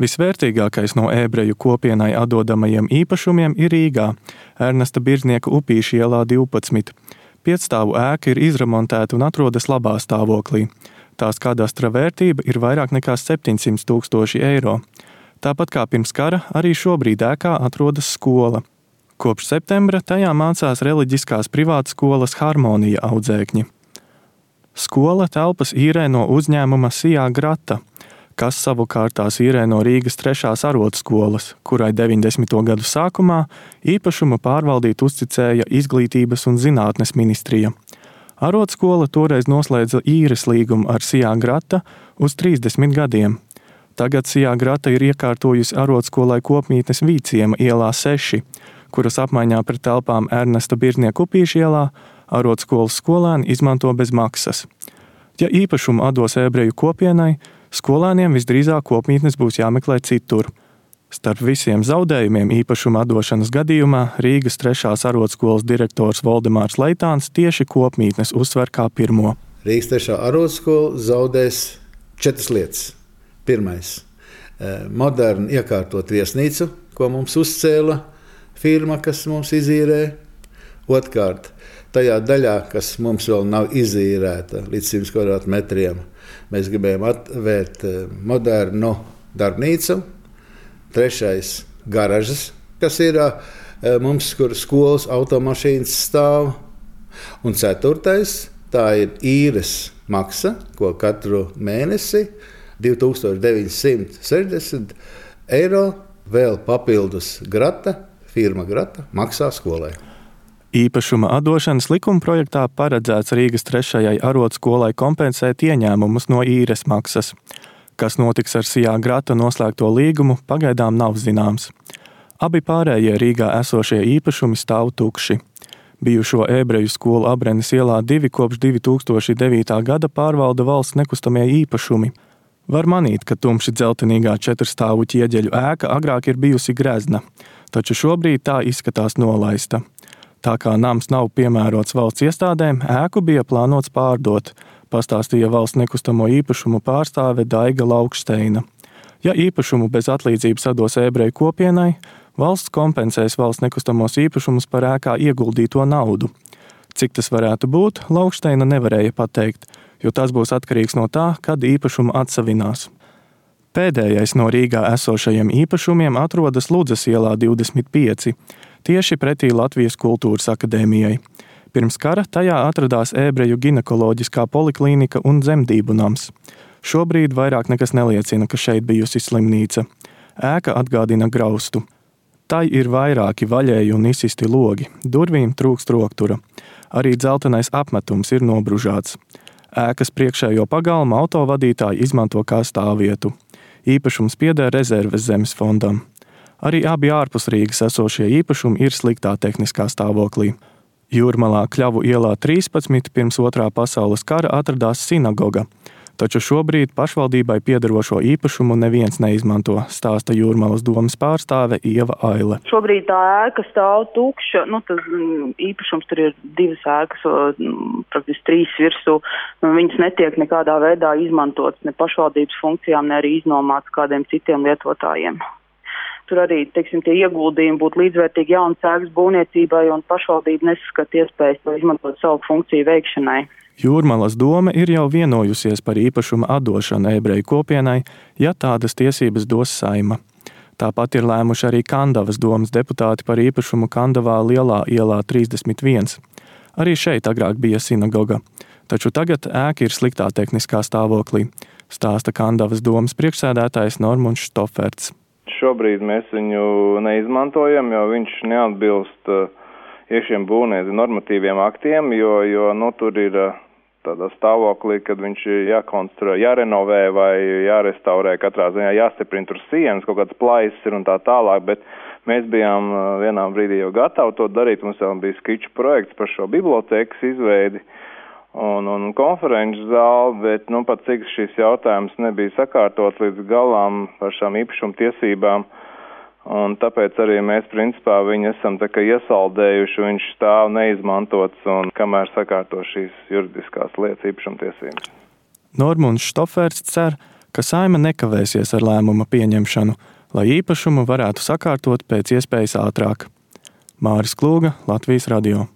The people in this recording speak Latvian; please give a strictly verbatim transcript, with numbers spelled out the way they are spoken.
Visvērtīgākais no ebreju kopienai atdodamajiem īpašumiem ir Rīgā, Ernesta Birznieka Upīša ielā divpadsmit. Piecstāvu ēka ir izremontēta un atrodas labā stāvoklī. Tās kadastra vērtība ir vairāk nekā septiņsimt tūkstoši eiro. Tāpat kā pirms kara, arī šobrīd ēkā atrodas skola. Kopš septembra tajā mācās reliģiskās privātskolas Harmonija audzēkņi. Skola telpas īrē no uzņēmuma Sijā Grata, kas savukārt tās īrē no Rīgas trešās arotskolas, kurai deviņdesmito gadu sākumā īpašumu pārvaldīt uzticēja Izglītības un zinātnes ministrija. Arotskola toreiz noslēdza īres līgumu ar Sijā Grata uz trīsdesmit gadiem. Tagad Sijā Grata ir iekārtojusi arotskolai kopmītnes Vīciema ielā seši, kuras apmaiņā pret telpām Ernesta Birznieka Upīša ielā arotskolas skolēni izmanto bez maksas. Ja īpašumu atdos ebreju kopienai, skolēniem visdrīzāk kopmītnes būs jāmeklē citur. Starp visiem zaudējumiem īpašuma atdošanas gadījumā Rīgas trešās arotskolas direktors Voldemārs Leitāns tieši kopmītnes uzsver kā pirmo. Rīgas trešā arotskola zaudēs četras lietas. Pirmais – moderni iekārtot viesnīcu, ko mums uzcēla firma, kas mums izīrē. Otkārt, tajā daļā, kas mums vēl nav izīrēta līdz simt kvadrātmetriem, mēs gribējām atvērt modernu darbnīcu. Trešais – garažas, kas ir mums, kur skolas automašīnas stāv. Un ceturtais – tā ir īres maksa, ko katru mēnesi divi tūkstoši deviņsimt sešdesmit eiro vēl papildus Grata, firma Grata, maksā skolai. Īpašuma atdošanas likuma projektā paredzēts Rīgas trešajai arotskolai kompensēt ieņēmumus no īres maksas. Kas notiks ar Sijā Grata noslēgto līgumu, pagaidām nav zināms. Abi pārējie Rīgā esošie īpašumi stāv tukši. Bijušo ebreju skolu Abrenes ielā divi kopš divi tūkstoši devītā gada pārvalda valsts nekustamie īpašumi. Var manīt, ka tumši dzeltenīgā četrstāvu ķieģeļu ēka agrāk ir bijusi grezna, taču šobrīd tā izskatās nolaista. Tā kā nams nav piemērots valsts iestādēm, ēku bija plānots pārdot, pastāstīja valsts nekustamo īpašumu pārstāve Daiga Laukšteina. Ja īpašumu bez atlīdzības atdos ebreju kopienai, valsts kompensēs valsts nekustamos īpašumus par ēkā ieguldīto naudu. Cik tas varētu būt, Laukšteina nevarēja pateikt, jo tas būs atkarīgs no tā, kad īpašumu atsavinās. Pēdējais no Rīgā esošajiem īpašumiem atrodas Ludzas ielā divdesmit pieci, tieši pretī Latvijas kultūras akadēmijai. Pirms kara tajā atradās ebreju ginekoloģiskā poliklīnika un dzemdību nams. Šobrīd vairāk nekas neliecina, ka šeit bijusi slimnīca. Ēka atgādina graustu. Tai ir vairāki vaļēji un izsisti logi, durvīm trūkst roktura. Arī dzeltenais apmetums ir nobružāts. Ēkas priekšējo pagalmu autovadītāji izmanto kā stāvvietu. Īpašums pieder rezerves zemes fondam. Arī abi ārpus Rīgas esošie īpašumi ir sliktā tehniskā stāvoklī. Jūrmalā Kļavu ielā trīspadsmit pirms otrā pasaules kara atradās sinagoga, taču šobrīd pašvaldībai piederošo īpašumu neviens neizmanto, stāsta Jūrmalas domes pārstāve Ieva Aile. Šobrīd tā ēka stāv tukša, nu tas īpašums tur ir divas ēkas, praktiski trīs virsū, viņas netiek nekādā veidā izmantotas ne pašvaldības funkcijām, ne arī iznomāts kādiem citiem lietotājiem. Tur arī, teiksim, tie ieguldījumi būtu līdzvērtīgi jaunas ēkas būvniecībai un pašvaldība neskata iespējas to izmantot savu funkciju veikšanai. Jūrmalas dome ir jau vienojusies par īpašuma atdošanu ebreju kopienai, ja tādas tiesības dos Saima. Tāpat ir lēmuši arī Kandavas domes deputāti par īpašumu Kandavā Lielā ielā trīsdesmit viens. Arī šeit agrāk bija sinagoga, taču tagad ēka ir sliktā tehniskā stāvoklī, stāsta Kandavas domes priekšsēdētājs Normunds Štoferts. Šobrīd mēs viņu neizmantojam, jo viņš neatbilst uh, iekšējiem būvniecības normatīviem aktiem, jo, jo nu, tur ir uh, tādā stāvoklī, kad viņš jākonstruē, jārenovē vai jārestaurē, katrā ziņā jāstiprina tur sienas, kaut kāds plaisas ir un tā tālāk, bet mēs bijām uh, vienā brīdī jau gatavi to darīt, mums jau bija skiču projekts par šo bibliotēkas izveidi un, un konferenču zāli, bet nu, pat cik šis jautājums nebija sakārtots līdz galām par šām īpašuma tiesībām, un tāpēc arī mēs principā viņu esam tā kā iesaldējuši, viņš stāv neizmantots, un kamēr sakārto šīs juridiskās lietas īpašuma tiesības. Normunds Štoferts cer, ka Saeima nekavēsies ar lēmuma pieņemšanu, lai īpašumu varētu sakārtot pēc iespējas ātrāk. Māris Klūga, Latvijas radio.